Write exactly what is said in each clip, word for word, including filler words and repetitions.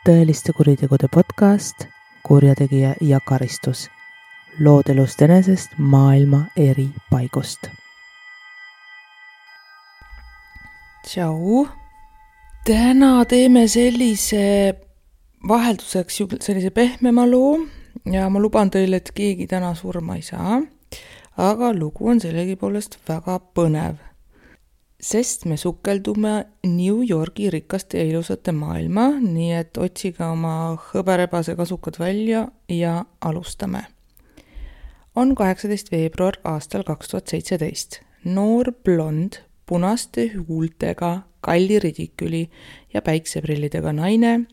tõeliste kuritegude podcast Kurjategija ja karistus. Lood elust enesest maailma eri paigust. Tšau! Täna teeme sellise vahelduseks sellise pehmema loo ja ma luban teile, et keegi täna surma ei saa, aga lugu on sellegipoolest väga põnev. Sest me sukeldume New Yorgi rikaste ja ilusate maailma, nii et otsige oma hõberebase kasukad välja ja alustame. On kaheksateist veebruar aastal kaks tuhat seitseteist. Noor blond, punaste huultega, kalli ridiküli ja päikseprillidega naine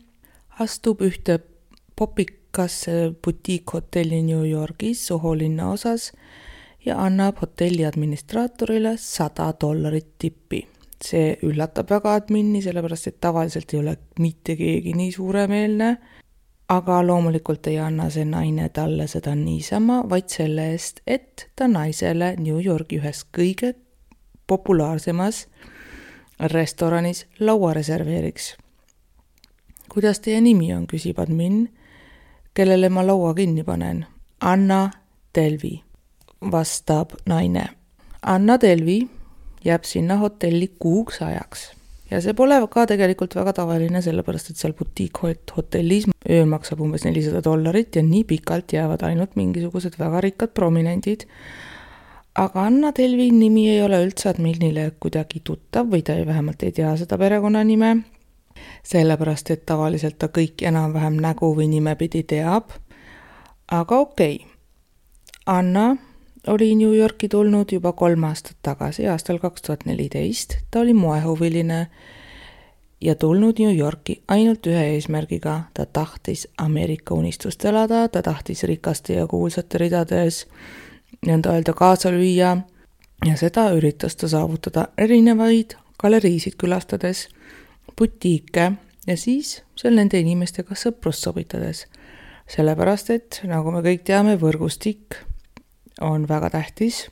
astub ühte popikasse butiikhotelli New Yorgis Soho linna osas ja annab hotelli administraatorile sada dollarit tippi. See üllatab väga admini, sellepärast et tavaliselt ei ole mitte keegi nii suuremeelne, aga loomulikult ei anna see naine talle seda niisama, vaid selle eest, et ta naisele New Yorgi ühes kõige populaarsemas restoranis laua reserveeriks. Kuidas teie nimi on, küsib admin, kellele ma laua kinni panen? Anna Delvi, vastab naine. Anna Delvi jääb sinna hotelli kuuks ajaks. Ja see pole ka tegelikult väga tavaline, sellepärast et seal butiikhotellis öö maksab umbes nelisada dollarit ja nii pikalt jäävad ainult mingisugused väga rikkad prominendid. Aga Anna Delvi nimi ei ole üldse adminile kuidagi tuttav või ta ei vähemalt ei tea seda perekonnanime, sellepärast et tavaliselt ta kõik enam-vähem nägu või nimepidi teab. Aga okei, Anna oli New Yorki tulnud juba kolm aastat tagasi, aastal kaks tuhat neliteist. Ta oli moehuviline ja tulnud New Yorki ainult ühe eesmärgiga. Ta tahtis Ameerika unistust elada, ta tahtis rikaste ja kuulsate ridades nõnda öelda kaasa lüüa ja seda üritas ta saavutada erinevaid galeriisid külastades, butiike ja siis seal nende inimestega sõprust sobitades. Sellepärast, et nagu me kõik teame, võrgustik on väga tähtis.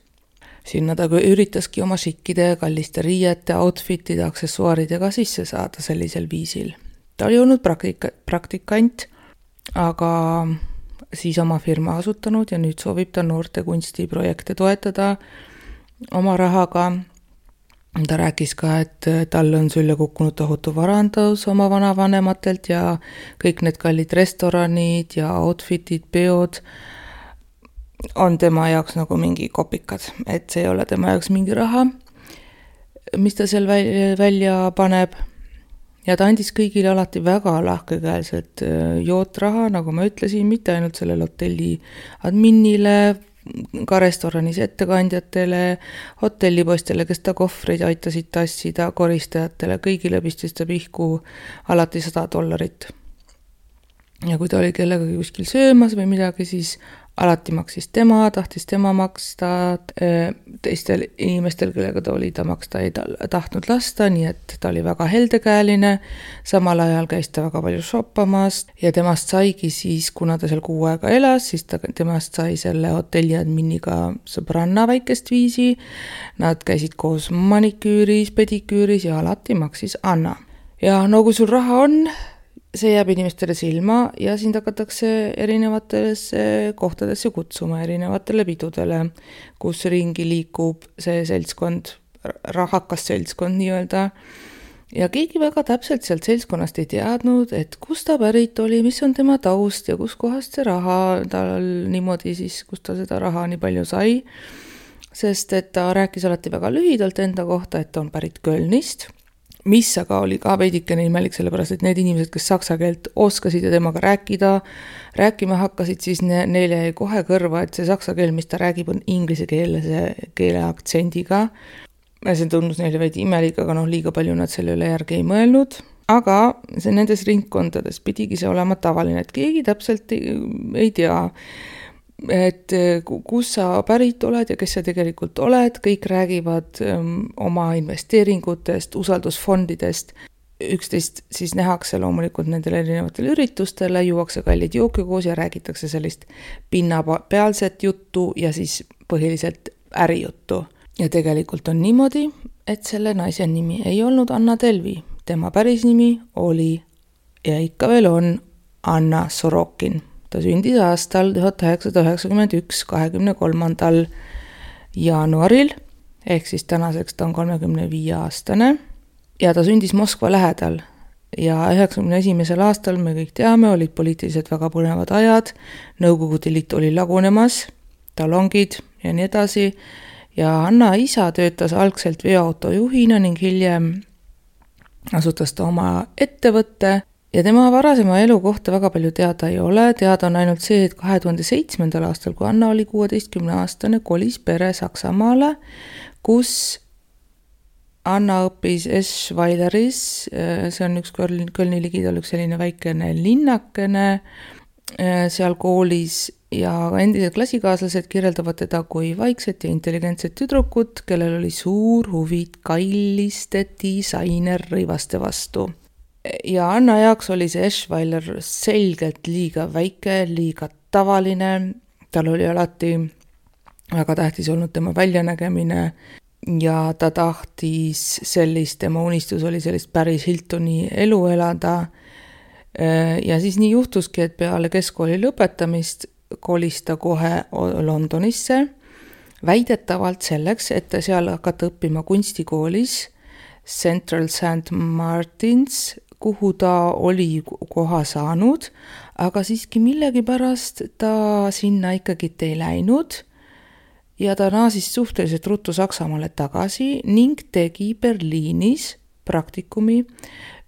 Sinna ta üritaski oma šikkide, kalliste riiete, outfitide, aksessuaaridega sisse saada sellisel viisil. Ta oli olnud praktika, praktikant, aga siis oma firma asutanud ja nüüd soovib ta noorte kunstiprojekte toetada oma rahaga. Ta rääkis ka, et tal on sülle kukkunud tohutu varandus oma vanavanematelt ja kõik need kallid restoranid ja outfitid, peod on tema jaoks nagu mingi kopikad, et see ei ole tema jaoks mingi raha, mis ta seal välja paneb. Ja ta andis kõigile alati väga lahkekäelselt jootraha, nagu ma ütlesin, mitte ainult sellele hotelli adminile, ka restoranis ettekandjatele, hotellipostele, kes ta kohvreid aitasid tassida, koristajatele, kõigile pistis ta pihku alati sada dollarit. Ja kui ta oli kellegagi kuskil söömas või midagi, siis alati maksis tema, tahtis tema maksta, teistel inimestel, kellega ta oli, ta maksta ei tahtnud lasta, nii et ta oli väga heldekäeline, samal ajal käis ta väga palju shoppamas ja temast saigi siis, kuna ta seal kuu aega elas, siis ta, temast sai selle hotelli adminiga sõbranna väikest viisi, nad käisid koos maniküüris, pediküüris ja alati maksis Anna. Ja no kui sul raha on, see jääb inimestele silma ja sind hakatakse erinevatesse kohtadesse kutsuma, erinevatele pidudele, kus ringi liikub see seltskond, rahakas seltskond nii-öelda. Ja keegi väga täpselt sealt seltskonnast ei teadnud, et kus ta pärit oli, mis on tema taust ja kus kohast see raha tal niimoodi siis, kus ta seda raha nii palju sai. Sest et ta rääkis alati väga lühidalt enda kohta, et ta on pärit Kölnist, mis aga oli ka veidikene imelik, sellepärast et need inimesed, kes saksa keelt oskasid ja temaga rääkida, rääkima hakkasid, siis ne, neile jäi kohe kõrva, et see saksa keel, mis ta räägib, on inglise keele, keele aktsendiga. See tundus neile veidi imelik, aga noh, liiga palju nad selle üle järgi ei mõelnud. Aga see nendes ringkondades pidigi see olema tavaline, et keegi täpselt ei, ei tea, et kus sa pärit oled ja kes sa tegelikult oled, kõik räägivad um, oma investeeringutest, usaldusfondidest, üksteist siis nähakse loomulikult nendele erinevatele üritustele, juuakse kallid jooki koos ja räägitakse sellist pinnapealset juttu ja siis põhiliselt ärijuttu. Ja tegelikult on niimoodi, et selle naise nimi ei olnud Anna Delvi, tema päris nimi oli ja ikka veel on Anna Sorokin. Ta sündis aastal tuhat üheksasada üheksakümmend üks kahekümne kolmandal jaanuaril, ehk siis tänaseks ta on kolmekümne viie aastane ja ta sündis Moskva lähedal. Ja üheksakümne esimesel aastal, me kõik teame, olid poliitiliselt väga põnevad ajad, Nõukogude Liit oli lagunemas, talongid ja nii edasi, ja Anna isa töötas algselt veoautojuhina ning hiljem asutas ta oma ettevõtte ja tema varasema elu kohta väga palju teada ei ole, teada on ainult see, et kahe tuhande seitsmendal aastal, kui Anna oli kuueteistkümne aastane, kolis pere Saksamaale, kus Anna õppis Eschweileris, see on üks Kölni ligidal üks selline väikene linnakene seal koolis ja endised klassikaaslased kirjeldavad teda kui vaikset ja intelligentset tüdrukut, kellel oli suur huvi kalliste disainerrõivaste vastu. Ja Anna jaoks oli see Eschweiler selgelt liiga väike, liiga tavaline, tal oli alati väga tähtis olnud tema väljanägemine ja ta tahtis sellist, tema unistus oli sellist päris Hiltoni elu elada. Ja siis nii juhtuski, et peale keskkooli lõpetamist kolis ta kohe Londonisse, väidetavalt selleks, et seal hakata õppima kunstikoolis Central Saint Martins, kuhu ta oli koha saanud, aga siiski millegipärast ta sinna ikkagi ei läinud ja ta naasis suhteliselt ruttu Saksamaale tagasi ning tegi Berliinis praktikumi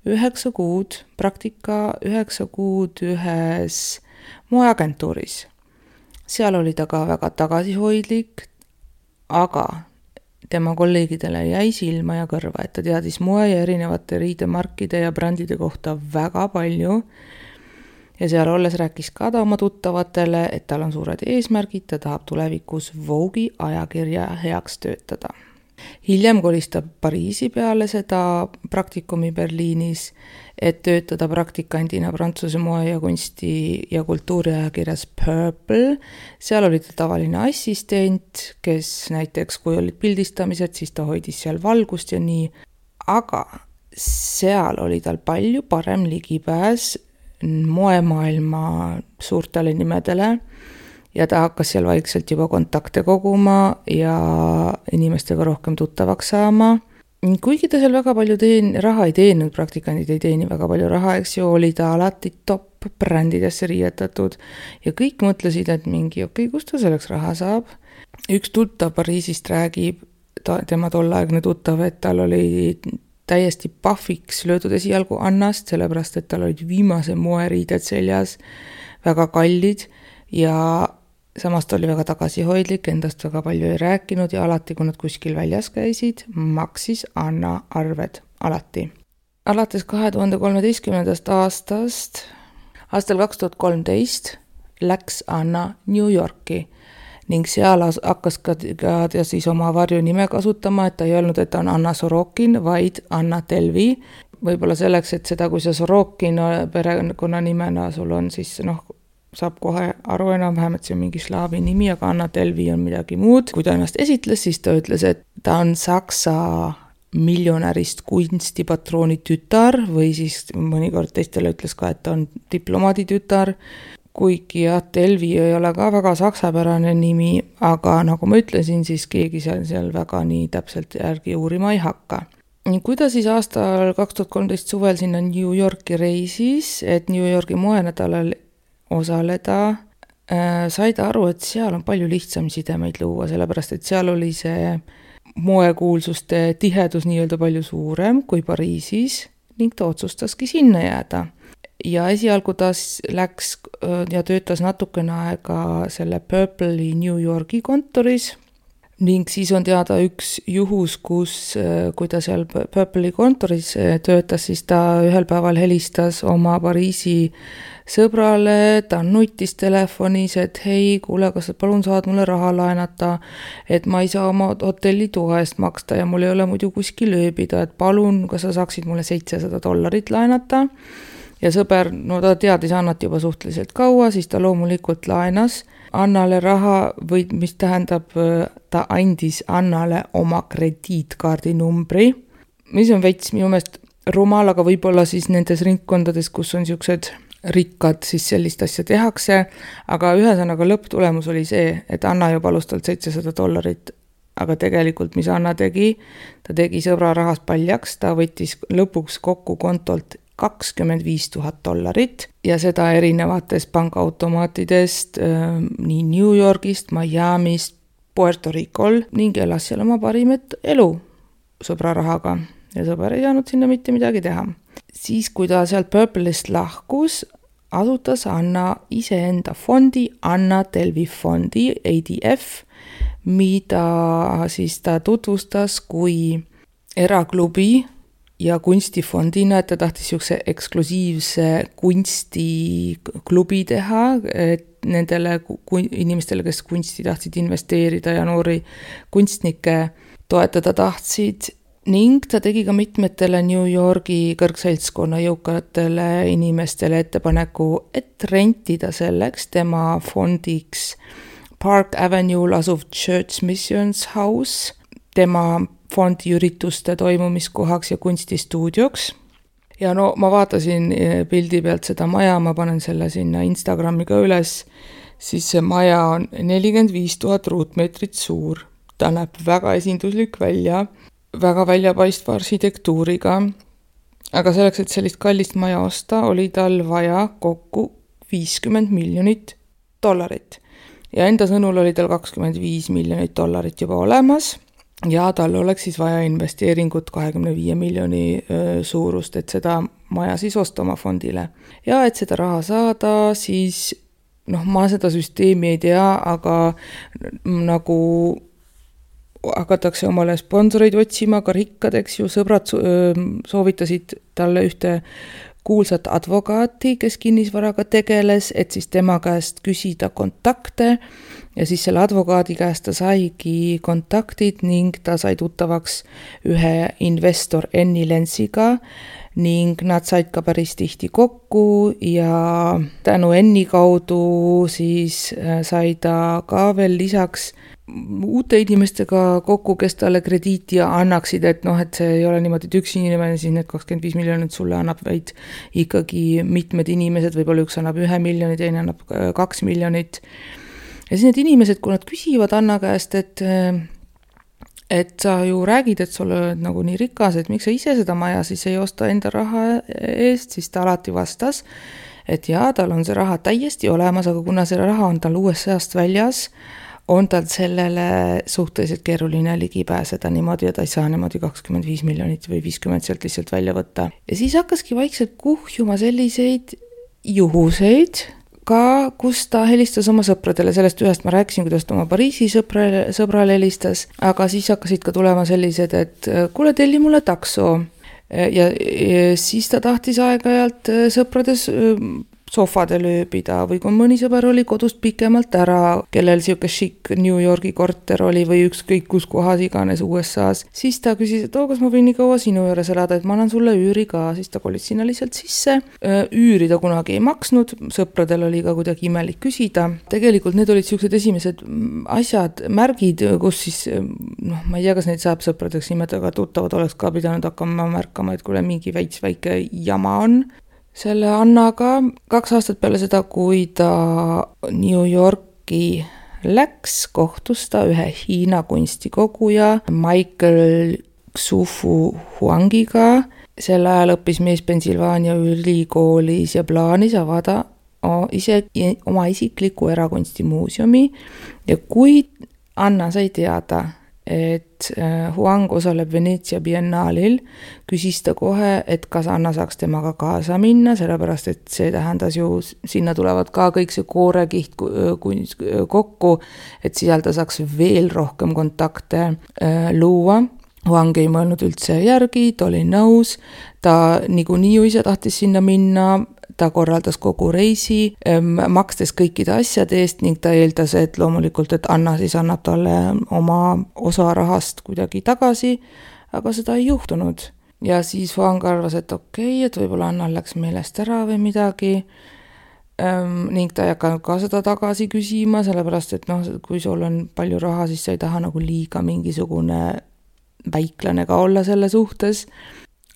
üheksa kuud, praktika üheksa kuud ühes moeagentuuris. Seal oli ta ka väga tagasihoidlik, aga tema kolleegidele jäi silma ja kõrva, et ta teadis moe ja erinevate riidemarkide ja brändide kohta väga palju. Ja seal olles rääkis ka ta oma tuttavatele, et tal on suured eesmärgid, ta tahab tulevikus Vogue'i ajakirja heaks töötada. Hiljem kolis ta Pariisi peale seda praktikumi Berliinis, et töötada praktikandina Prantsuse moe ja kunsti ja kultuuriajakirjas Purple. Seal oli ta tavaline assistent, kes näiteks kui olid pildistamised, siis ta hoidis seal valgust ja nii. Aga seal oli tal palju parem ligipääs moemaailma suurtele nimedele ja ta hakkas seal vaikselt juba kontakte koguma ja inimestega rohkem tuttavaks saama. Kuigi ta seal väga palju teen, raha ei teeninud, praktikandid ei teeni väga palju raha, eks ju, oli ta alati top brändidesse riietatud ja kõik mõtlesid, et mingi okei, okay, kust ta selleks raha saab. Üks tuttav Pariisist räägib, ta, tema tolleaegne tuttav, et tal oli täiesti pahviks löödud esialgu Annast, sellepärast, et tal olid viimase moeriided seljas, väga kallid ja samas ta oli väga tagasihoidlik, endast väga palju ei rääkinud ja alati, kui nad kuskil väljas käisid, maksis Anna arved. Alati. Alates kahe tuhande kolmeteistkümnendast aastast, aastal kaks tuhat kolmteist läks Anna New Yorki ning seal hakkas ka, ka ta siis oma varjunime kasutama, et ta ei öelnud, et ta on Anna Sorokin, vaid Anna Delvi. Võib-olla selleks, et seda, kui see Sorokin perekonna nimena sul on, siis noh, saab kohe aru enam-vähem, et see on mingi slaavi nimi, aga Anna Delvi on midagi muud. Kui ta ennast esitles, siis ta ütles, et ta on Saksa miljonärist kunstipatrooni tütar või siis mõnikord teistele ütles ka, et ta on diplomaadi tütar. Kuigi jah, Delvi ei ole ka väga saksapärane nimi, aga nagu ma ütlesin, siis keegi seal, seal väga nii täpselt järgi uurima ei hakka. Kui ta siis aastal kaks tuhat kolmteist suvel sinna New Yorki reisis, et New Yorki moenädalal osaleda, äh, sai ta aru, et seal on palju lihtsam sidemeid luua, sellepärast et seal oli see moekuulsuste tihedus nii-öelda palju suurem kui Pariisis ning ta otsustaski sinna jääda. Ja esialgu ta läks ja töötas natukene aega selle Purple'i New Yorki kontoris ning siis on teada üks juhus, kus kui ta seal Purple'i kontoris töötas, siis ta ühel päeval helistas oma Pariisi sõbrale, ta nutis telefonis, et hei, kuule, kas sa palun saad mulle raha laenata, et ma ei saa oma hotelli toa eest maksta ja mul ei ole muidu kuskil ööbida, et palun, kas sa saaksid mulle seitsesada dollarit laenata. Ja sõber, no ta teadis Annat juba suhteliselt kaua, siis ta loomulikult laenas Annale raha, või mis tähendab, ta andis Annale oma krediitkaardi numbri, mis on veits minu meelest rumal, aga võib-olla siis nendes ringkondades, kus on niisugused rikkad, siis sellist asja tehakse, aga ühesõnaga lõpptulemus oli see, et Anna juba palus talt seitsesada dollarit, aga tegelikult mis Anna tegi, ta tegi sõbra rahast paljaks, ta võttis lõpuks kokku kontolt kakskümmend viis tuhat dollarit ja seda erinevatest pangaautomaatidest nii New Yorgist, Miamist, Puerto Ricol ning elas seal oma parimat elu sõbra rahaga ja sõber ei saanud sinna mitte midagi teha. Siis, kui ta sealt Purple'ist lahkus, asutas Anna iseenda fondi, Anna Delvi fondi, A D F, mida siis ta tutvustas kui eraklubi ja kunstifondina, et ta tahtis niisuguse eksklusiivse kunstiklubi teha, et nendele inimestele, kes kunsti tahtsid investeerida ja noori kunstnikke toetada tahtsid, ning ta tegi ka mitmetele New Yorgi kõrgseltskonna jõukatele inimestele ettepaneku, et rentida selleks tema fondiks Park Avenue'l asuv Church Missions House, tema fondi ürituste toimumiskohaks ja kunstistuudioks. Ja no ma vaatasin pildi pealt seda maja, ma panen selle sinna Instagrami ka üles, siis see maja on nelikümmend viis tuhat ruutmeetrit suur. Ta näeb väga esinduslik välja, väga väljapaistva arhitektuuriga, aga selleks, et sellist kallist maja osta, oli tal vaja kokku viiskümmend miljonit dollarit. Ja enda sõnul oli tal kakskümmend viis miljonit dollarit juba olemas ja tal oleks siis vaja investeeringut kahekümne viie miljoni suurust, et seda maja siis osta oma fondile. Ja et seda raha saada, siis noh, ma seda süsteemi ei tea, aga nagu hakatakse omale sponsoreid otsima, ka rikkad, eks ju, sõbrad soovitasid talle ühte kuulsat advokaati, kes kinnisvaraga tegeles, et siis tema käest küsida kontakte ja siis selle advokaadi käest ta saigi kontaktid ning ta sai tuttavaks ühe investor Enni Lensiga ning nad said ka päris tihti kokku ja tänu Enni kaudu siis sai ta ka veel lisaks uute inimestega kokku, kes talle krediiti annaksid, et noh, et see ei ole niimoodi, et üks inimene, siis need kakskümmend viis miljonit sulle annab, vaid ikkagi mitmed inimesed, võib-olla üks annab ühe miljoni, teine annab kaks miljonit. Ja siis need inimesed, kui nad küsivad Anna käest, et, et sa ju räägid, et sul oled nagu nii rikas, et miks sa ise seda maja siis ei osta enda raha eest, siis ta alati vastas, et jaa, tal on see raha täiesti olemas, aga kuna see raha on tal U S A-st väljas, on tal sellele suhteliselt keeruline ligi pääseda niimoodi, et ta ei saa niimoodi kakskümmend viis miljonit või viiskümmend sealt lihtsalt välja võtta. Ja siis hakkaski vaikselt kuhjuma selliseid juhuseid, ka kus ta helistas oma sõpradele, sellest ühest ma rääkisin, kuidas ta oma Pariisi sõbrale, sõbrale helistas, aga siis hakkasid ka tulema sellised, et kuule, telli mulle takso. Ja, ja siis ta tahtis aeg-ajalt sõprades sofadel ööbida või kui mõni sõber oli kodust pikemalt ära, kellel siuke šik New Yorgi korter oli või ükskõik kus kohas iganes U S A-s, siis ta küsis, et oo, kas ma võin nii kaua sinu juures elada, et ma annan sulle üüri ka, siis ta kolis sinna lihtsalt sisse. Üüri ta kunagi ei maksnud, sõpradel oli ka kuidagi imelik küsida. Tegelikult need olid siuksed esimesed asjad, märgid, kus siis, noh, ma ei tea, kas neid saab sõpradeks nimetada, aga tuttavad oleks ka pidanud hakkama märkama, et kuule mingi väits väike jama on. Selle Annaga kaks aastat peale seda, kui ta New Yorki läks, kohtus ta ühe Hiina kunstikoguja Michael Xufu Huangiga. Sel ajal õppis mees Pennsylvania ülikoolis ja plaanis avada ise oma isikliku erakunstimuuseumi. Ja kui Anna sai teada, et Huang osaleb Veneetsia biennaalil, küsis ta kohe, et kas Anna saaks temaga kaasa minna, sellepärast et see tähendas ju, sinna tulevad ka kõik see koorekiht kokku, et seal ta saaks veel rohkem kontakte luua. Huang ei mõelnud üldse järgi, ta oli nõus, ta niikuinii ju ise tahtis sinna minna, ta korraldas kogu reisi, makstes kõikide asjade eest ning ta eeldas, et loomulikult, et Anna siis annab talle oma osa rahast kuidagi tagasi, aga seda ei juhtunud. Ja siis Huang arvas, et okei, et võib-olla Anna läks meelest ära või midagi ning ta ei hakanud ka seda tagasi küsima, sellepärast, et noh, kui sul on palju raha, siis sa ei taha nagu liiga mingisugune väiklane ka olla selle suhtes.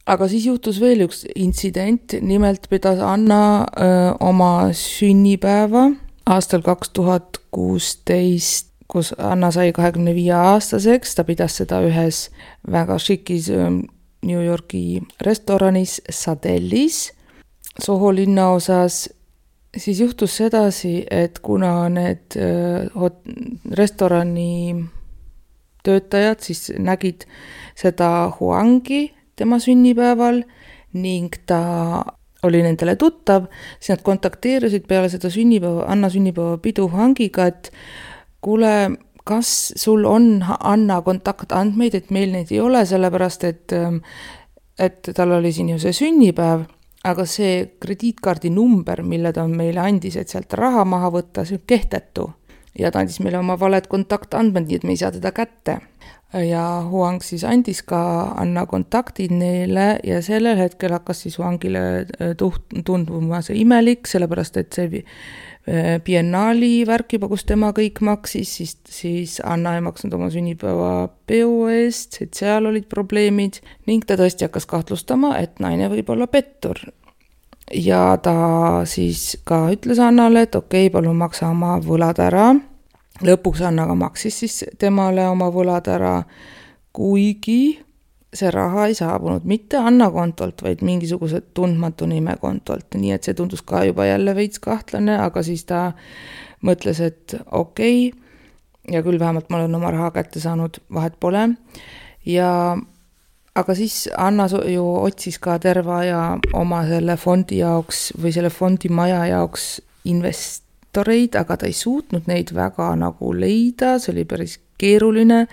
aga siis juhtus veel üks intsident, nimelt pidas Anna öö, oma sünnipäeva aastal kaks tuhat kuusteist, kus Anna sai kahekümne viie aastaseks, ta pidas seda ühes väga šikis New Yorgi restoranis Sadellis Soho linnaosas. Siis juhtus sedasi, et kuna need hot- restorani töötajad siis nägid seda Huangi tema sünnipäeval ning ta oli nendele tuttav, siis nad kontakteerisid peale seda sünnipäeva, Anna sünnipäeva pidu Huangiga, et kuule, kas sul on Anna kontaktandmeid, et meil neid ei ole, sellepärast et, et tal oli siin ju see sünnipäev, aga see krediitkaardi number, mille ta meile andis, et sealt raha maha võtta, see on kehtetu. Ja ta andis meile oma valed kontaktandmed, nii et me ei saa teda kätte. Ja Huang siis andis ka Anna kontaktid neile ja sellel hetkel hakkas siis Huangile tunduma see imelik, sellepärast et see biennaali värk juba, kus tema kõik maksis, siis, siis Anna ei maksnud oma sünnipäeva peo eest, et seal olid probleemid ning ta tõesti hakkas kahtlustama, et naine võib olla pettur. Ja ta siis ka ütles Annale, et okei, palun maksa oma võlad ära. Lõpuks Anna ka maksis siis temale oma võlad ära, kuigi see raha ei saabunud mitte Anna kontolt, vaid mingisuguse tundmatu nime kontolt. Nii et see tundus ka juba jälle veits kahtlane, aga siis ta mõtles, et okei, ja küll vähemalt ma olen oma raha kätte saanud, vahet pole. Ja aga siis Anna ju otsis ka terve aja oma selle fondi jaoks või selle fondi maja jaoks investoreid, aga ta ei suutnud neid väga nagu leida, see oli päris keeruline,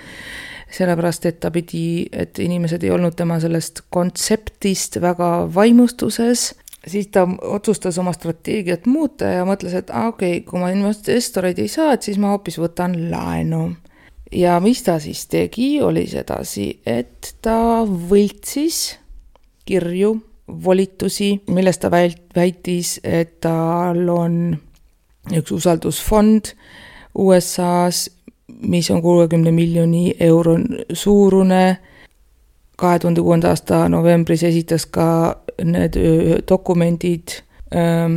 sellepärast et ta pidi, et inimesed ei olnud tema sellest kontseptist väga vaimustuses, siis ta otsustas oma strateegiat muuta ja mõtles, et ah, okei, kui ma investoreid ei saa, et siis ma hoopis võtan laenu. Ja mis ta siis tegi, oli sedasi, et ta võltsis kirju, volitusi, millest ta väitis, et tal on üks usaldusfond U S A-s, mis on kuuekümne miljoni euro suurune. kahe tuhande kuuenda aasta novembris esitas ka need dokumendid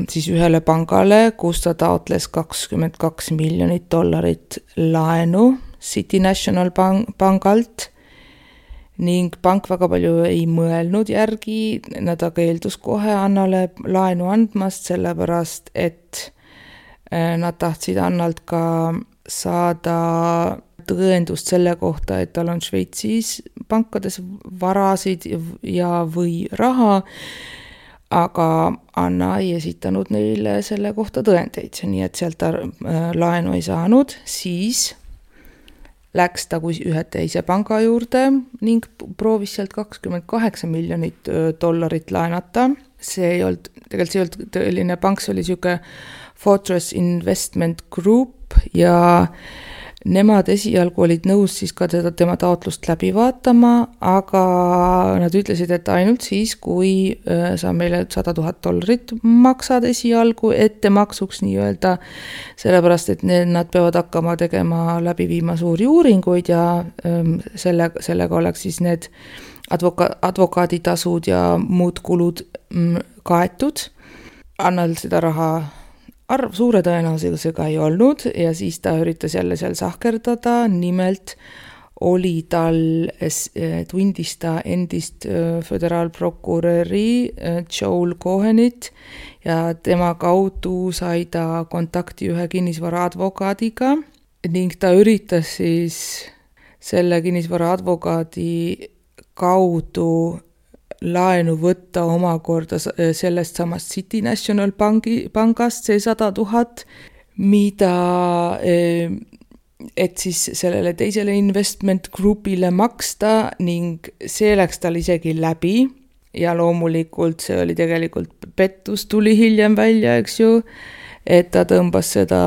siis ühele pangale, kus ta taotles kakskümmend kaks miljonit dollarit laenu City National pangalt ning pank väga palju ei mõelnud järgi, nad aga keeldus kohe Annale laenu andmast, sellepärast et nad tahtsid Annalt ka saada tõendust selle kohta, et tal on Šveitsis pankades varasid ja või raha, aga Anna ei esitanud neile selle kohta tõendeid, nii et sealt ta laenu ei saanud, siis läks ta kui ühe teise panga juurde ning proovis sealt kakskümmend kaheksa miljonit dollarit laenata. See ei olnud, tegelikult see ei olnud tõeline pank, see oli siuke Fortress Investment Group ja nemad esialgu olid nõus siis ka teda, tema taotlust läbi vaatama, aga nad ütlesid, et ainult siis, kui sa meile sada tuhat dollarit maksad esialgu ettemaksuks nii-öelda, sellepärast, et need, nad peavad hakkama tegema läbi viima suuri uuringuid ja selle, sellega oleks siis need advoka, advokaaditasud ja muud kulud kaetud. Annal seda raha arv suure tõenäosusega ei olnud ja siis ta üritas jälle seal sahkerdada, nimelt oli tal, tundis ta endist föderaalprokuröri Joel Cohenit ja tema kaudu sai ta kontakti ühe kinnisvara advokaadiga ning ta üritas siis selle kinnisvara advokaadi kaudu laenu võtta omakorda sellest samast City National Banki, pangast see sada tuhat, mida, et siis sellele teisele investment groupile maksta ning see läks tal isegi läbi ja loomulikult see oli tegelikult pettus, tuli hiljem välja, eks ju, et ta tõmbas seda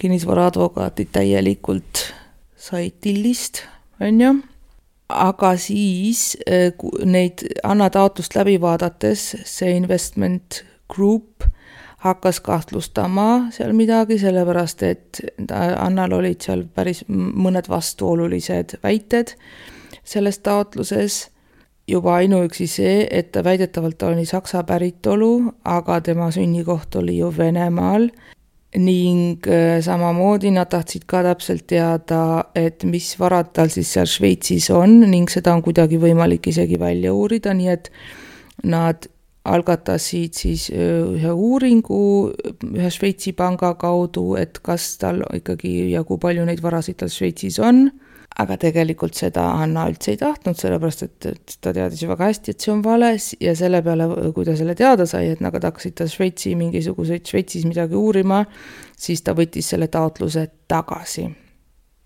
kinnisvara advokaati täielikult sai tillist, on ju. Aga siis neid Anna taotlust läbi vaadates see investment group hakkas kahtlustama seal midagi, sellepärast et Annal olid seal päris mõned vastuolulised väited selles taotluses juba ainuüksi see, et ta väidetavalt oli Saksa päritolu, aga tema sünnikoht oli ju Venemaal ning samamoodi nad tahtsid ka täpselt teada, et mis varad tal siis seal Šveitsis on ning seda on kuidagi võimalik isegi välja uurida, nii et nad algatasid siis ühe uuringu ühe Šveitsi panga kaudu, et kas tal ikkagi ja kui palju neid varasid tal Šveitsis on, aga tegelikult seda Anna üldse ei tahtnud, sellepärast et, et ta teadis ju väga hästi, et see on vales ja selle peale, kui ta selle teada sai, et nad hakkasid ta Šveitsi mingisuguseid Šveitsis midagi uurima, siis ta võttis selle taotluse tagasi.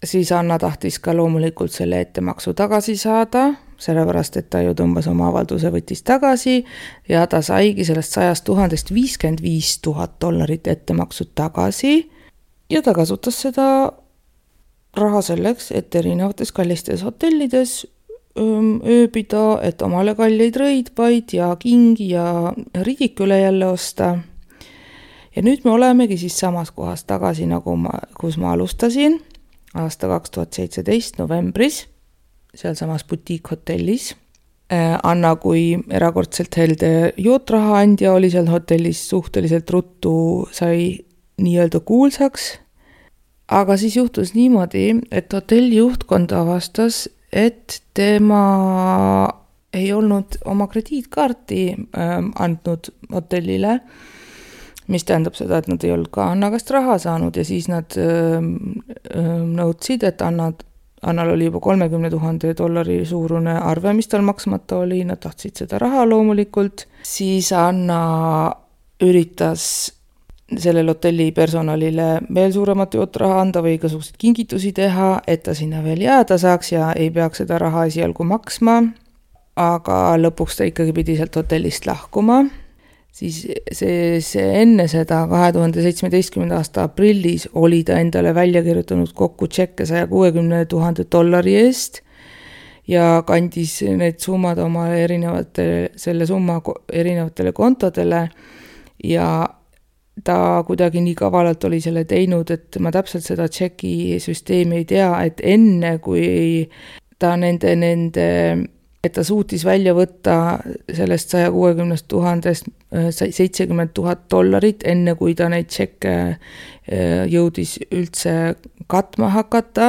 Siis Anna tahtis ka loomulikult selle ettemaksu tagasi saada, sellepärast et ta ju tõmbas oma avalduse, võttis tagasi ja ta saigi sellest sajast tuhandest viiskümmend viis tuhat dollarit ettemaksu tagasi ja ta kasutas seda raha selleks, et erinevates kallistes hotellides ööbida, et omale kalleid rõidvaid ja kingi ja ridiküle jälle osta. Ja nüüd me olemegi siis samas kohas tagasi, nagu ma, kus ma alustasin, aasta kaks tuhat seitseteist novembris, seal samas boutique hotellis. Anna kui erakordselt helde jootraha andja oli seal hotellis suhteliselt ruttu, sai nii-öelda kuulsaks. Aga siis juhtus niimoodi, et hotelli juhtkond avastas, et tema ei olnud oma krediitkaarti ähm, andnud hotellile, mis tähendab seda, et nad ei olnud ka Anna käest raha saanud ja siis nad ähm, ähm, nõudsid, et Anna, Annal oli juba kolmekümne tuhande dollari suurune arve, mis tal maksmata oli, nad tahtsid seda raha loomulikult. Siis Anna üritas sellel hotelli personalile veel suuremat jootraha anda või igasugused kingitusi teha, et ta sinna veel jääda saaks ja ei peaks seda raha esialgu maksma, aga lõpuks ta ikkagi pidi sealt hotellist lahkuma. Siis see, see enne seda kahe tuhande seitsmeteistkümnenda aasta aprillis oli ta endale välja kirjutanud kokku tšekke saja kuuekümne tuhande dollari eest ja kandis need summad oma erinevate, selle summa erinevatele kontodele ja ta kuidagi nii kavalalt oli selle teinud, et ma täpselt seda tšeki süsteemi ei tea, et enne kui ta nende, nende, et ta suutis välja võtta sellest saja kuuekümne tuhandest seitsekümmend tuhat dollarit, enne kui ta neid tšekke jõudis üldse katma hakata,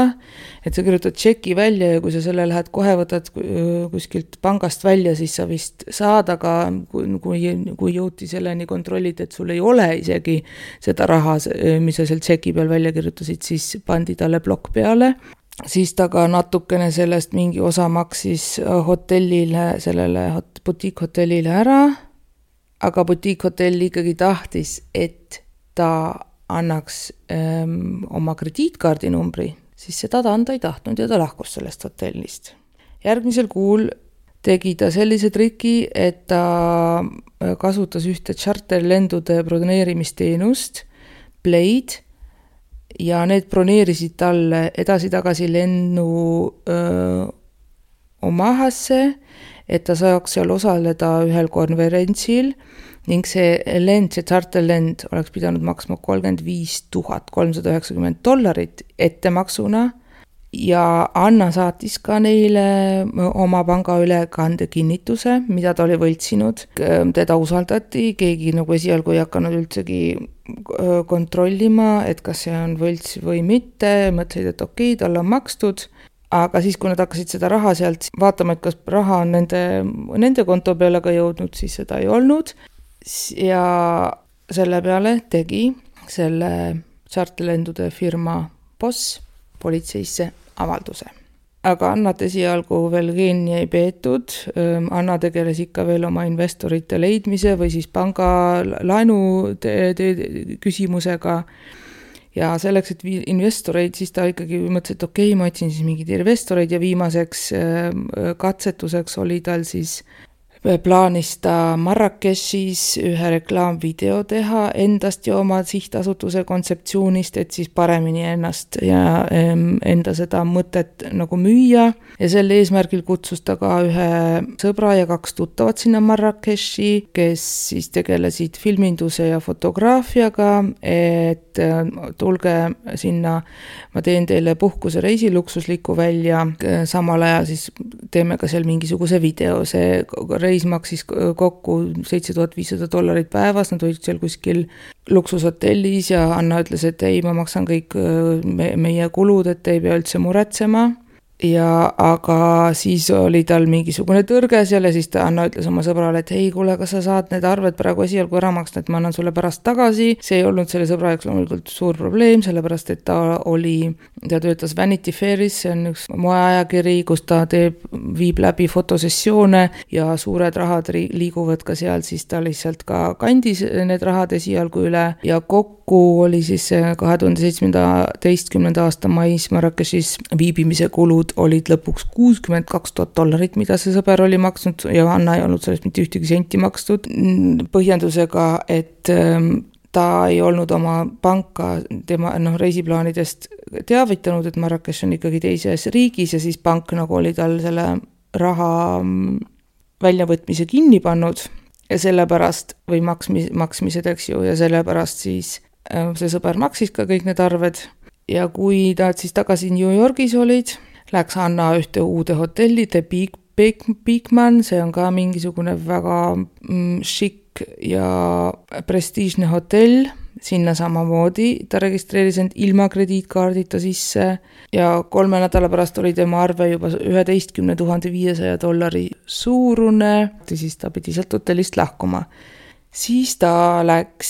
et sa kirjutad tšeki välja ja kui sa selle lähed kohe võtad kuskilt pangast välja, siis sa vist saad, aga kui, kui, kui jõuti selleni kontrollid, et sul ei ole isegi seda raha, mis sa seal tšeki peal välja kirjutasid, siis pandi talle plokk peale. Siis ta ka natukene sellest mingi osa maksis hotellile, sellele boutique hotellile ära, aga boutique hotell ikkagi tahtis, et ta annaks ähm, oma krediitkaardi numbri, siis seda ta anda ei tahtnud ja ta lahkus sellest hotellist. Järgmisel kuul tegi ta sellise triki, et ta kasutas ühte charterlendude broneerimisteenust, Blade, ja need broneerisid talle edasi-tagasi lennu öö, Omahasse, et ta saaks seal osaleda ühel konverentsil ning see lend, see charterlend oleks pidanud maksma kolmkümmend viis tuhat kolmsada üheksakümmend dollarit ettemaksuna ja Anna saatis ka neile oma pangaülekande kinnituse, mida ta oli võltsinud. Teda usaldati, keegi nagu esialgu ei hakanud üldsegi kontrollima, et kas see on võlts või mitte, mõtlesid, et okei, tal on makstud. Aga siis, kui nad hakkasid seda raha sealt vaatama, et kas raha on nende, nende konto peale ka jõudnud, siis seda ei olnud. Ja selle peale tegi selle charterlendude firma boss politseisse avalduse. Aga Annat esialgu veel kinni ei peetud. Anna tegeles ikka veel oma investorite leidmise või siis panga laenu te- te- küsimusega. Ja selleks, et investoreid, siis ta ikkagi mõtles, et okei, ma otsin siis mingid investoreid ja viimaseks katsetuseks oli tal siis plaanis ta Marrakechis ühe reklaamvideo teha endast ja oma sihtasutuse kontseptsioonist, et siis paremini ennast ja enda seda mõtet nagu müüa. Ja sel eesmärgil kutsus ta ka ühe sõbra ja kaks tuttavat sinna Marrakechi, kes siis tegelesid filminduse ja fotograafiaga, et tulge sinna, ma teen teile puhkusereisi luksuslikku välja, samal ajal siis teeme ka seal mingisuguse video. See reis maksis kokku seitse tuhat viissada dollarit päevas, nad olid seal kuskil luksushotellis ja Anna ütles, et ei, ma maksan kõik meie kulud, et ei pea üldse muretsema. Ja aga siis oli tal mingisugune tõrge seal ja siis ta Anna ütles oma sõbrale, et hei, kuule, kas sa saad need arved praegu esialgu ära maksta, et ma annan sulle pärast tagasi. See ei olnud selle sõbra jaoks loomulikult suur probleem, sellepärast et ta oli, ta töötas Vanity Fairis, see on üks moeajakiri, kus ta teeb, viib läbi fotosessioone ja suured rahad liiguvad ka seal, siis ta lihtsalt ka kandis need rahad esialgu üle ja kokku oli siis kahe tuhande seitsmeteistkümnenda aasta mais Marrakechis viibimise kulud olid lõpuks kuuskümmend kaks tuhat dollarit, mida see sõber oli maksnud ja Anna ei olnud sellest mitte ühtegi senti makstud, põhjendusega, et ta ei olnud oma panka tema noh, reisiplaanidest teavitanud, et Marrakech on ikkagi teises riigis ja siis pank nagu oli tal selle raha väljavõtmise kinni pannud ja sellepärast või maksmis, maksmised, eks ju, ja sellepärast siis see sõber maksis ka kõik need arved ja kui ta siis tagasi New Yorgis olid, läks Anna ühte uude hotelli, The Big, Big, Bigman, see on ka mingisugune väga mm, šikk ja prestiižne hotell, sinna samamoodi, ta registreeris end ilma krediitkaardita sisse ja kolme nädala pärast oli tema arve juba üheteistkümne tuhande viiesaja dollari suurune, siis ta pidi sealt hotellist lahkuma. Siis ta läks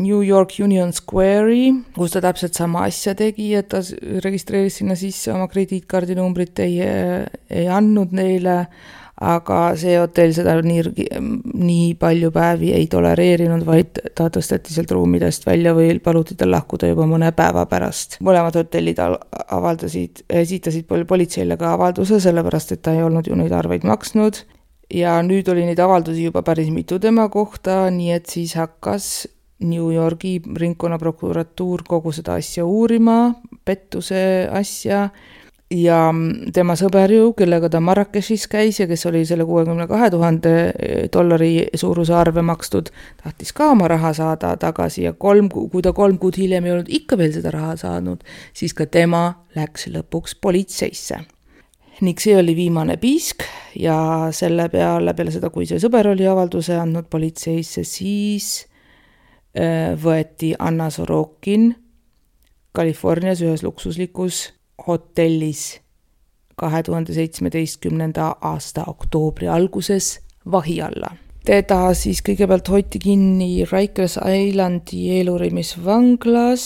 New York Union Square'i, kus ta täpselt sama asja tegi, et ta registreeris sinna sisse oma krediitkaardi numbrit, ei, ei andnud neile, aga see hotell seda nii, nii palju päevi ei tolereerinud, vaid ta tõsteti sealt ruumidest välja või paluti tal lahkuda juba mõne päeva pärast. Mõlemad hotellid avaldasid, esitasid politseile ka avalduse, sellepärast et ta ei olnud ju neid arveid maksnud. Ja nüüd oli neid avaldusi juba päris mitu tema kohta, nii et siis hakkas New Yorgi ringkonnaprokuratuur kogu seda asja uurima, pettuse asja ja tema sõber ju, kellega ta Marrakechis käis ja kes oli selle kuuekümne kahe tuhande dollari suuruse arve makstud, tahtis ka oma raha saada tagasi ja kolm, kui ta kolm kuud hiljem ei olnud ikka veel seda raha saanud, siis ka tema läks lõpuks politseisse. Ning see oli viimane piisk ja selle peale, peale seda, kui see sõber oli avalduse andnud politseisse, siis äh, võeti Anna Sorokin Californias ühes luksuslikus hotellis kahe tuhande seitsmeteistkümnenda aasta oktoobri alguses vahi alla. Teda siis kõigepealt hoiti kinni Rikers Islandi eelurimisvanglas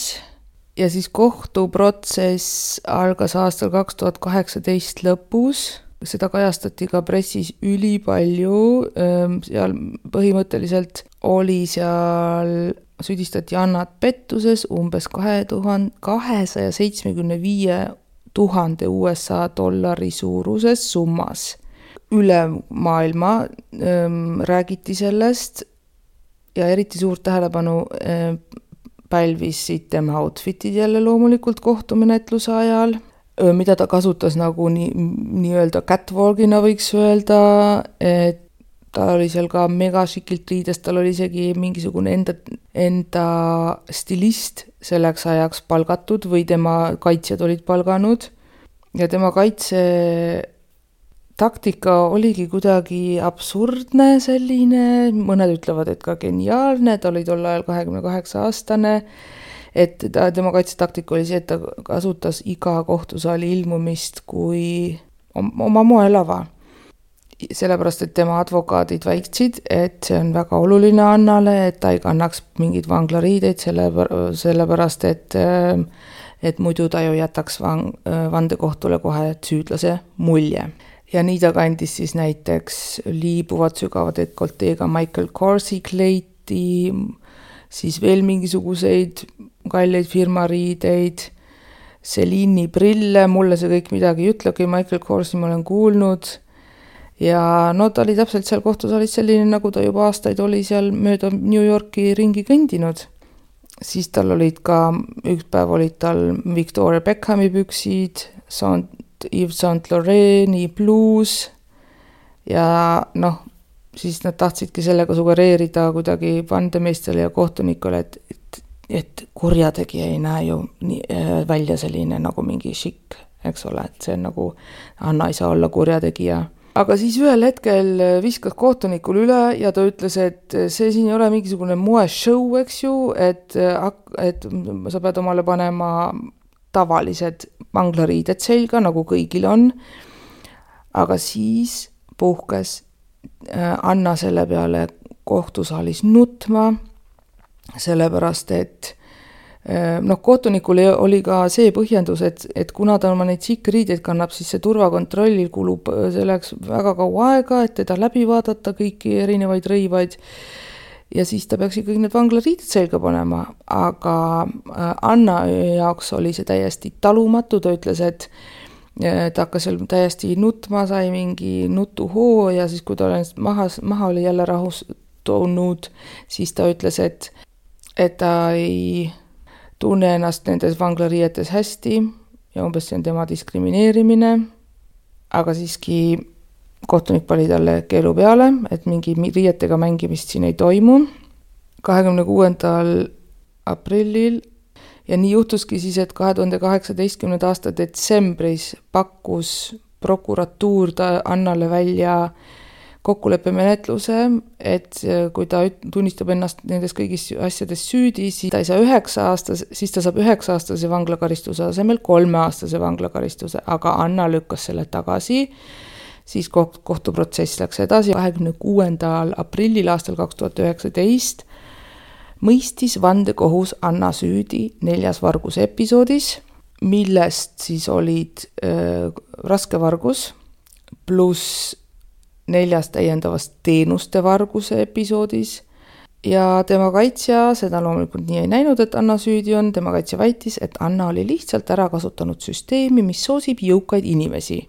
ja siis kohtuprotsess algas aastal kaks tuhat kaheksateist lõpus. Seda kajastati ka pressis ülipalju. Seal põhimõtteliselt oli seal, süüdistati Annat pettuses umbes kahesaja seitsmekümne viie tuhande U S A dollari suuruses summas. Üle maailma ähm, räägiti sellest ja eriti suurt tähelepanu äh, pälvisid tema outfitid jälle loomulikult kohtumenetluse ajal, mida ta kasutas nagu nii, nii-öelda catwalkina võiks öelda, et ta oli seal ka mega šikilt riides, tal oli isegi mingisugune enda, enda stilist selleks ajaks palgatud või tema kaitsjad olid palganud ja tema kaitse taktika oligi kuidagi absurdne selline, mõned ütlevad, et ka geniaalne, ta oli tol ajal kahekümne kaheksa aastane, et ta, tema kaitsetaktika oli see, et ta kasutas iga kohtusaali ilmumist kui oma moelava. Sellepärast, et tema advokaadid väitsid, et see on väga oluline Annale, et ta ei kannaks mingid vanglariideid selle, sellepärast, et, et muidu ta ju jätaks vang, vandekohtule kohe süüdlase mulje. Ja nii ta kandis siis näiteks liibuvad sügava dekolteega Michael Corsi kleiti, siis veel mingisuguseid kalleid firmariideid, Celine'i prille, mulle see kõik midagi ei ütlegi, Michael Corsi ma olen kuulnud ja no ta oli täpselt seal kohtusaalis selline, nagu ta juba aastaid oli seal mööda New Yorki ringi kõndinud. Siis tal olid ka, üks päev olid tal Victoria Beckhami püksid, Yves Saint Laurent'i bluus ja noh, siis nad tahtsidki sellega sugereerida kuidagi vandemeestele ja kohtunikule, et, et, et kurjategija ei näe ju nii, välja selline nagu mingi šikk, eks ole, et see on nagu, Anna ei saa olla kurjategija. Aga siis ühel hetkel viskas kohtunikul üle ja ta ütles, et see siin ei ole mingisugune moeshow, eks ju, et, et sa pead omale panema tavalised vanglariided selga, nagu kõigil on. Aga siis puhkes Anna selle peale kohtusaalis nutma, sellepärast, et noh, kohtunikul oli ka see põhjendus, et, et kuna ta oma neid sikkriideid kannab, siis see turvakontrollil kulub selleks väga kaua aega, et teda läbi vaadata kõiki erinevaid rõivaid ja siis ta peaks kõik need vanglariided selga panema, aga Anna jaoks oli see täiesti talumatu, ta ütles, et ta hakkas seal täiesti nutma, sai mingi nutuhoo ja siis kui ta maha, maha oli jälle rahustunud, siis ta ütles, et, et ta ei tunne ennast nendes vanglariietes hästi ja umbes see on tema diskrimineerimine, aga siiski kohtunik pani talle keelu peale, et mingi riietega mängimist siin ei toimu. kahekümne kuuendal aprillil ja nii juhtuski siis, et kahe tuhande kaheksateistkümnenda aasta detsembris pakkus prokuratuur ta Annale välja kokkuleppemenetluse, et kui ta tunnistab ennast nendes kõigis asjades süüdi, siis ta ei saa üheksa aastas, siis ta saab üheksa aastase vanglakaristuse asemel kolme aastase vanglakaristuse, aga Anna lükkas selle tagasi, siis kohtuprotsess läks edasi. kahekümne kuuendal aprillil aastal kaks tuhat üheksateist mõistis vandekohus Anna süüdi neljas varguse episoodis, millest siis olid äh, raske vargus pluss neljas täiendavast teenuste varguse episoodis ja tema kaitsja seda loomulikult nii ei näinud, et Anna süüdi on, tema kaitsja väitis, et Anna oli lihtsalt ära kasutanud süsteemi, mis soosib jõukaid inimesi.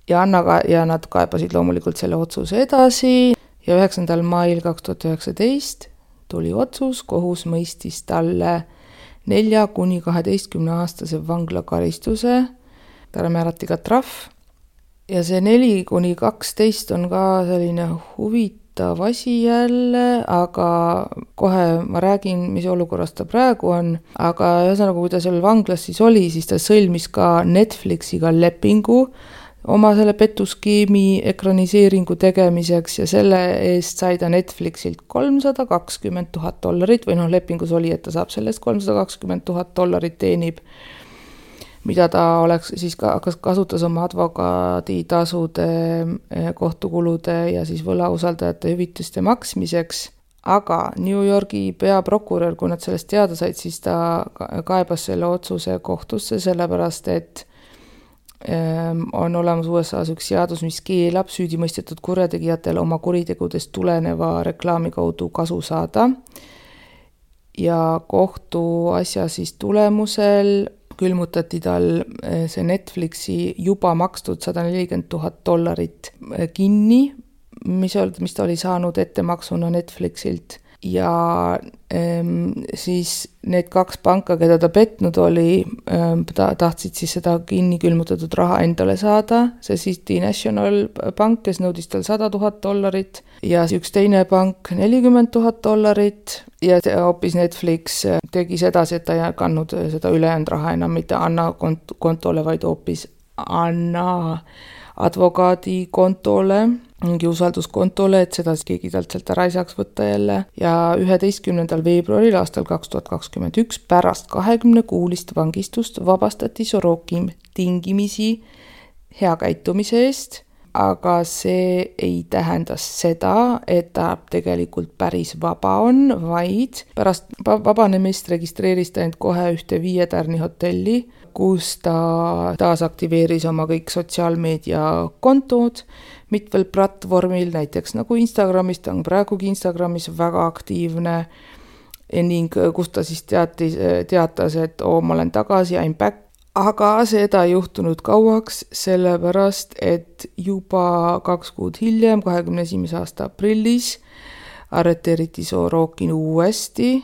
Ja, Anna ka, ja nad kaebasid loomulikult selle otsuse edasi ja üheksandal mail kaks tuhat üheksateist tuli otsus, kohus mõistis talle nelja kuni kaheteistkümne aastase vanglakaristuse, talle määrati ka trahv ja see neli kuni kaksteist on ka selline huvitav asi jälle, aga kohe ma räägin, mis olukorras ta praegu on, aga ühesõnaga, kui ta seal vanglas siis oli, siis ta sõlmis ka Netflixiga lepingu oma selle petuskeemi ekraniseeringu tegemiseks ja selle eest sai ta Netflixilt kolmsada kakskümmend tuhat dollarit või noh, lepingus oli, et ta saab sellest kolmsada kakskümmend tuhat dollarit teenib, mida ta oleks siis ka, kasutas oma advokaaditasude, kohtukulude ja siis võlausaldajate hüvitiste maksmiseks. Aga New Yorgi peaprokurör, kui nad sellest teada said, siis ta kaebas selle otsuse kohtusse, sellepärast et on olemas U S A-s üks seadus, mis keelab süüdimõistetud kurjategijatel oma kuritegudest tuleneva reklaami kaudu kasu saada. Ja kohtu asja siis tulemusel külmutati tal see Netflixi juba makstud sada nelikümmend tuhat dollarit kinni, mis, mis ta oli saanud ettemaksuna Netflixilt. Ja ähm, siis need kaks panka, keda ta petnud oli, ähm, ta tahtsid siis seda kinni külmutatud raha endale saada, see City National Bank, kes nõudis tal sada tuhat dollarit ja üks teine pank nelikümmend tuhat dollarit ja hoopis Netflix tegi sedasi, et ta ei kandnud seda ülejäänud raha enam mitte Anna kont- kontole, vaid hoopis Anna advokaadi kontole, mingi usalduskontole, et seda keegi talt sealt ära ei saaks võtta jälle. Ja üheteistkümnendal veebruaril aastal kaks tuhat kakskümmend üks pärast kahekümne kuulist vangistust vabastati Sorokin tingimisi hea käitumise eest, aga see ei tähenda seda, et ta tegelikult päris vaba on, vaid pärast vabanemist registreeris ta end kohe ühte viietärni hotelli, kus ta taasaktiveeris oma kõik sotsiaalmeedia kontod mitmel platvormil, näiteks nagu Instagramis, ta on praegugi Instagramis väga aktiivne ning kus ta siis teatis, teatas, et oo, ma olen tagasi, I'm back, aga seda ei juhtunud kauaks, sellepärast et juba kaks kuud hiljem, kahekümne esimese aasta aprillis, arreteeriti Sorokin uuesti,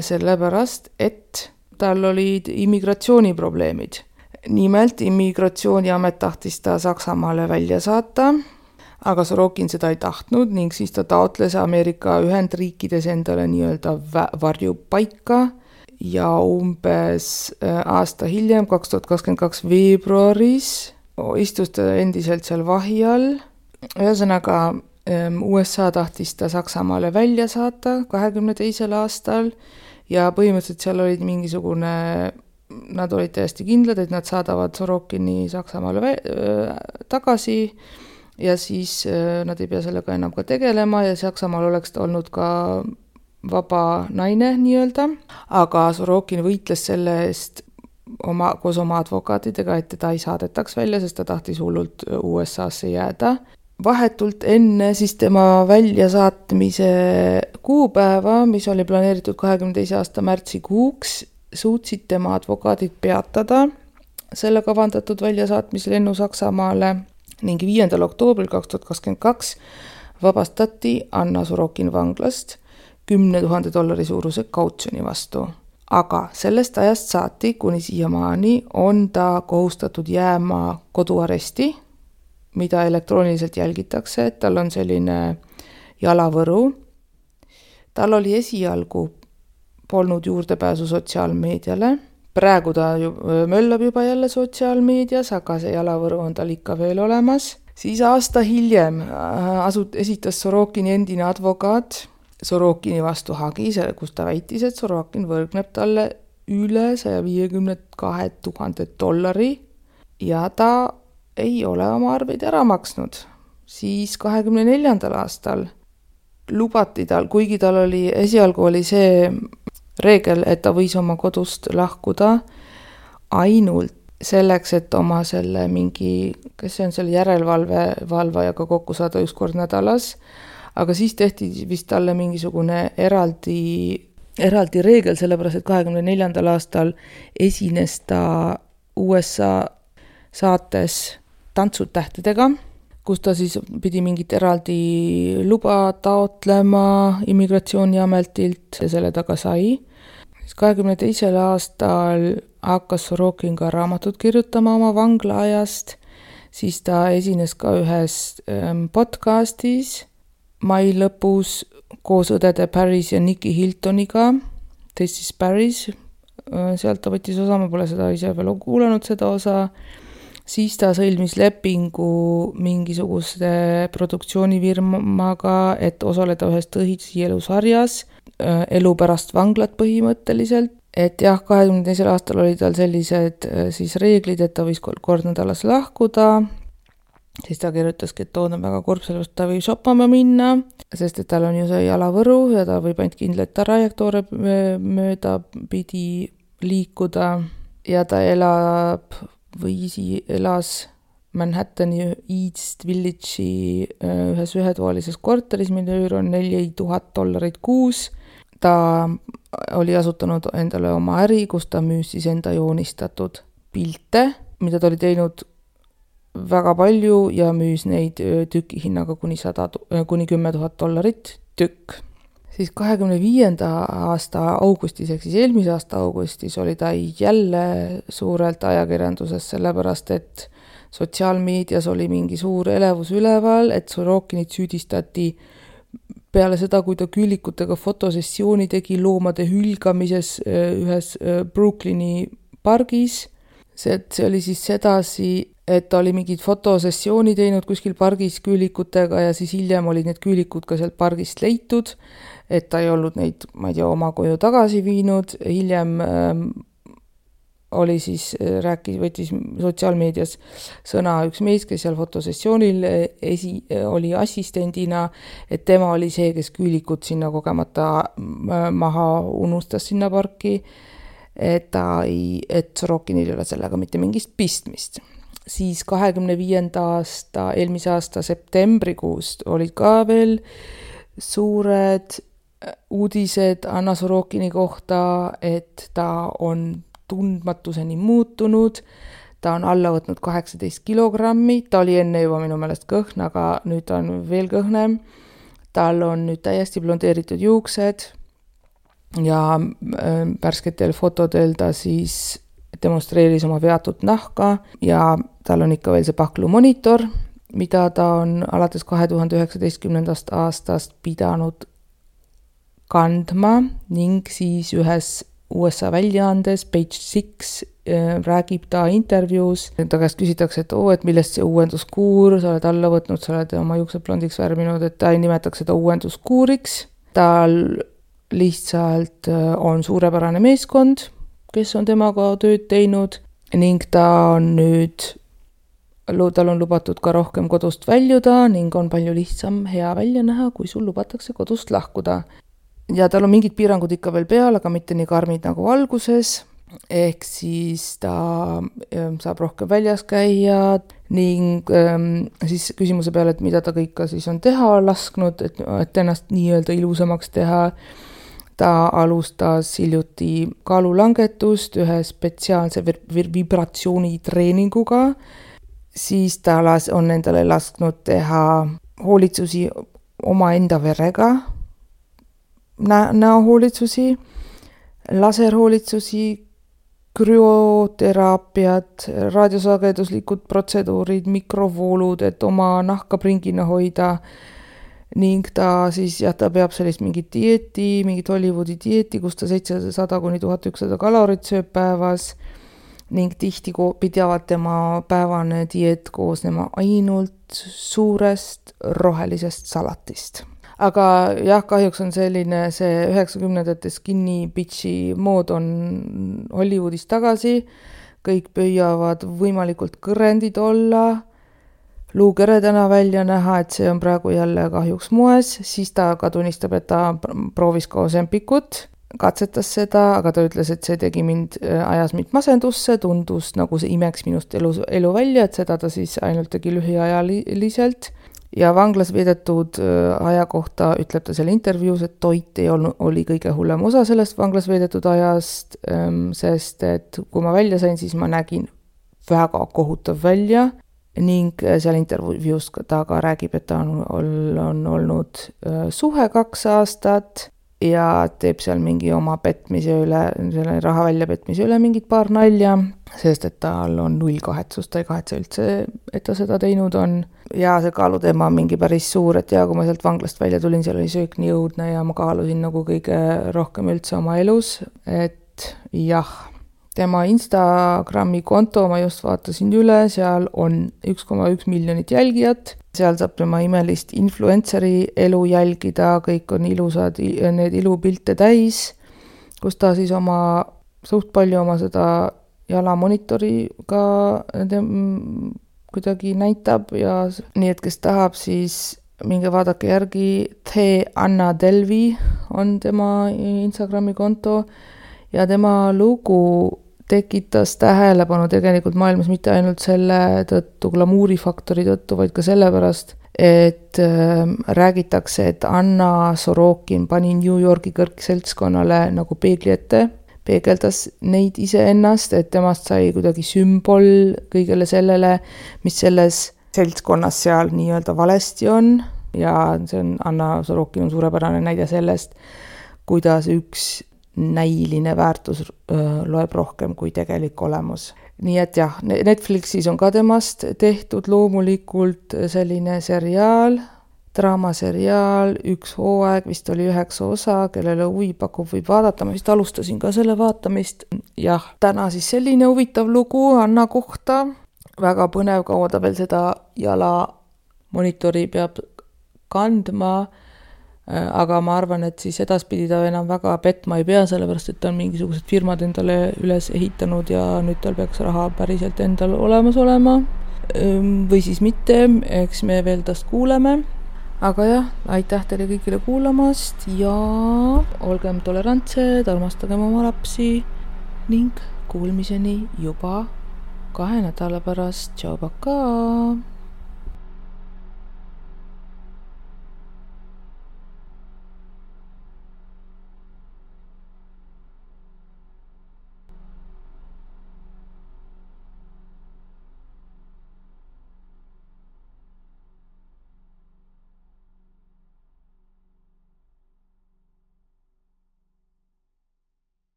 sellepärast et tal olid immigratsiooniprobleemid. Nimelt immigratsiooniamet tahtis ta Saksamaale välja saata, aga Sorokin seda ei tahtnud ning siis ta taotles Ameerika Ühendriikides endale nii-öelda varjupaika ja umbes aasta hiljem, kaks tuhat kakskümmend kaks veebruaris, istus ta endiselt seal vahi all. Ühesõnaga, U S A tahtis ta Saksamaale välja saata kahekümne teisel aastal ja põhimõtteliselt seal olid mingisugune, nad olid täiesti kindlad, et nad saadavad Sorokini Saksamaale vä- tagasi ja siis nad ei pea sellega enam ka tegelema ja Saksamaal oleks ta olnud ka vaba naine nii-öelda, aga Sorokin võitles selle eest oma, koos oma advokaatidega, et teda ei saadetaks välja, sest ta tahtis hullult U S A-sse jääda. Vahetult enne siis tema väljasaatmise kuupäeva, mis oli planeeritud kahekümne teise aasta märtsikuuks, suutsid tema advokaadid peatada selle kavandatud väljasaatmislennu Saksamaale ning viiendal oktoobril kaks tuhat kakskümmend kaks vabastati Anna Sorokin vanglast kümne tuhande dollari suuruse kautsjoni vastu. Aga sellest ajast saati, kuni siiamaani on ta kohustatud jääma koduaresti, mida elektrooniliselt jälgitakse, et tal on selline jalavõru. Tal oli esialgu polnud juurdepääsu sotsiaalmeediale. Praegu ta ju, möllab juba jälle sotsiaalmeedias, aga see jalavõru on tal ikka veel olemas. Siis aasta hiljem asut, esitas Sorokini endine advokaat Sorokini vastu hagi, kus ta väitis, et Sorokin võrgneb talle üle saja viiekümne kahe tuhande dollari ja ta ei ole oma arveid ära maksnud. Siis kahekümne neljandal aastal lubati tal, kuigi tal oli, esialgu oli see reegel, et ta võis oma kodust lahkuda ainult selleks, et oma selle mingi, kes see on selle järelevalve valvajaga kokku saada üks kord nädalas, aga siis tehti vist talle mingisugune eraldi, eraldi reegel, sellepärast et kahekümne neljandal aastal esines ta U S A saates Tantsud tähtedega, kus ta siis pidi mingit eraldi luba taotlema immigratsiooniametilt ja selle taga sai. kahekümne teisel aastal hakkas Sorokin ka raamatut kirjutama oma vanglaajast, siis ta esines ka ühes podcastis mai lõpus koos õdede Paris ja Nikki Hiltoniga, teist siis Paris, sealt ta võttis osa, ma pole seda ise veel kuulanud seda osa. Siis ta sõlmis lepingu mingisuguse produktsioonifirmaga, et osaleda ühes tõsielusarjas, elu pärast vanglat põhimõtteliselt. Et jah, kahekümne teisel aastal oli tal sellised siis reeglid, et ta võis kord nädalas lahkuda. Siis ta kirjutaski, et toon on väga kurb, sellest ta võib shoppama minna, sest et tal on ju see jalavõru ja ta võib ainult kindlalt trajektoore mööda pidi liikuda ja ta elab või isi elas Manhattani East Village'i ühes ühetoalises korteris, mille üür on neli tuhat dollarit kuus. Ta oli asutanud endale oma äri, kus ta müüs siis enda joonistatud pilte, mida ta oli teinud väga palju ja müüs neid tüki hinnaga kuni, sada, kuni kümme tuhat dollarit tükk. Siis kahekümne viienda aasta augustis, ehk siis eelmise aasta augustis oli ta jälle suurelt ajakirjanduses, sellepärast et sotsiaalmeedias oli mingi suur elevus üleval, et Sorokinit süüdistati peale seda, kui ta küülikutega fotosessiooni tegi loomade hülgamises ühes Brooklyni pargis. See, see oli siis sedasi, et ta oli mingid fotosessiooni teinud kuskil pargis küülikutega ja siis hiljem olid need küülikud ka sealt pargist leitud, et ta ei olnud neid, ma ei tea, oma koju tagasi viinud. Hiljem ähm, oli siis, rääkis, võttis sotsiaalmeedias sõna üks mees, kes seal fotosessioonil esi, oli assistendina, et tema oli see, kes küülikud sinna kogemata maha unustas sinna parki, et ta ei, et Sorokinil ei ole sellega mitte mingist pistmist. Siis kahekümne viienda aasta, eelmise aasta septembrikuust olid ka veel suured uudised Anna Sorokini kohta, et ta on tundmatuseni muutunud, ta on alla võtnud kaheksateist kilogrammi, ta oli enne juba minu meelest kõhn, aga nüüd ta on veel kõhnem. Tal on nüüd täiesti blondeeritud juuksed ja värsketel fotodel ta siis demonstreeris oma veatud nahka ja tal on ikka veel see paklu monitor, mida ta on alates kahe tuhande üheksateistkümnendast aastast pidanud kandma ning siis ühes U S A väljaandes Page Six räägib ta intervjuus. Ta käest küsitakse, et oo, et millest see uuenduskuur, sa oled alla võtnud, sa oled oma juuksed blondiks värvinud, et ta ei nimetaks seda uuenduskuuriks. Tal lihtsalt on suurepärane meeskond, kes on temaga tööd teinud ning ta on nüüd, tal on lubatud ka rohkem kodust väljuda ning on palju lihtsam hea välja näha, kui sul lubatakse kodust lahkuda. Ja tal on mingid piirangud ikka veel peal, aga mitte nii karmid nagu alguses, ehk siis ta saab rohkem väljas käia ning ähm, siis küsimuse peale, et mida ta kõike siis on teha lasknud, et, et ennast nii-öelda ilusamaks teha. Ta alustas hiljuti kaalulangetust ühe spetsiaalse vibratsioonitreeninguga, siis ta las, on endale lasknud teha hoolitsusi oma enda verega, Nä- näohoolitsusi, laserhoolitsusi, krüoteraapiat, raadiosageduslikud protseduurid, mikrovoolud, et oma nahka pringina hoida ning ta siis, jah, ta peab sellist mingit dieeti, mingit Hollywoodi dieeti, kus ta seitsesada kuni tuhat ükssada kalorit sööb päevas ning tihti pidavad tema päevane dieet koosnema ainult suurest rohelisest salatist. Aga jah, kahjuks on selline see üheksakümnendate skinny bitchi mood on Hollywoodis tagasi, kõik püüavad võimalikult kõrendid olla, luukeredana välja näha, et see on praegu jälle kahjuks moes, siis ta ka tunnistab, et ta proovis ka Ozempikut, katsetas seda, aga ta ütles, et see tegi mind, ajas mind masendusse, tundus nagu see imeks minust elu, elu välja, et seda ta siis ainult tegi lühiajaliselt. Ja vanglas veedetud aja kohta ütleb ta selle intervjuus, et toit ei olnud, oli kõige hullem osa sellest vanglas veedetud ajast, sest et kui ma välja sain, siis ma nägin väga kohutav välja ning seal intervjuus ta ka räägib, et ta on, on olnud suhe kaks aastat ja teeb seal mingi oma petmise üle, selle raha välja petmise üle mingid paar nalja, sest et tal on null kahetsust, ta ei kahetse üldse, et ta seda teinud on. Ja see kaaluteema on mingi päris suur, et ja kui ma sealt vanglast välja tulin, seal oli söök nii õudne ja ma kaalusin nagu kõige rohkem üldse oma elus, et jah, tema Instagrami konto ma just vaatasin üle, seal on üks koma üks miljonit jälgijat, seal saab tema imelist influenceri elu jälgida, kõik on ilusad, need ilupilte täis, kus ta siis oma, suht palju oma seda jalamonitori ka kuidagi näitab ja nii, et kes tahab, siis minge vaadake järgi, The Anna Delvi on tema Instagrami konto ja tema lugu tekitas tähelepanu tegelikult maailmas mitte ainult selle tõttu, glamuurifaktori tõttu, vaid ka sellepärast, et äh, räägitakse, et Anna Sorokin pani New Yorki kõrgseltskonnale nagu peegli ette, peegeldas neid iseennast, et temast sai kuidagi sümbol kõigele sellele, mis selles seltskonnas seal nii-öelda valesti on ja see on, Anna Sorokin on suurepärane näide sellest, kuidas üks näiline väärtus öö, loeb rohkem kui tegelik olemus. Nii et jah, Netflixis on ka temast tehtud loomulikult selline seriaal, draamaseriaal, üks hooaeg, vist oli üheksa osa, kellele huvi pakub, võib vaadata, ma vist alustasin ka selle vaatamist. Jah, täna siis selline huvitav lugu Anna kohta, väga põnev, kaua ta veel seda jala monitori peab kandma, aga ma arvan, et siis edaspidi ta enam väga petma ei pea, sellepärast, et ta on mingisugused firmad endale üles ehitanud ja nüüd tal peaks raha päriselt endal olemas olema. Või siis mitte, eks me veel tast kuuleme. Aga jah, aitäh teile kõigile kuulamast ja olgem tolerantsed, armastagem oma lapsi ning kuulmiseni juba kahe nädala pärast. Tšau, pakaa!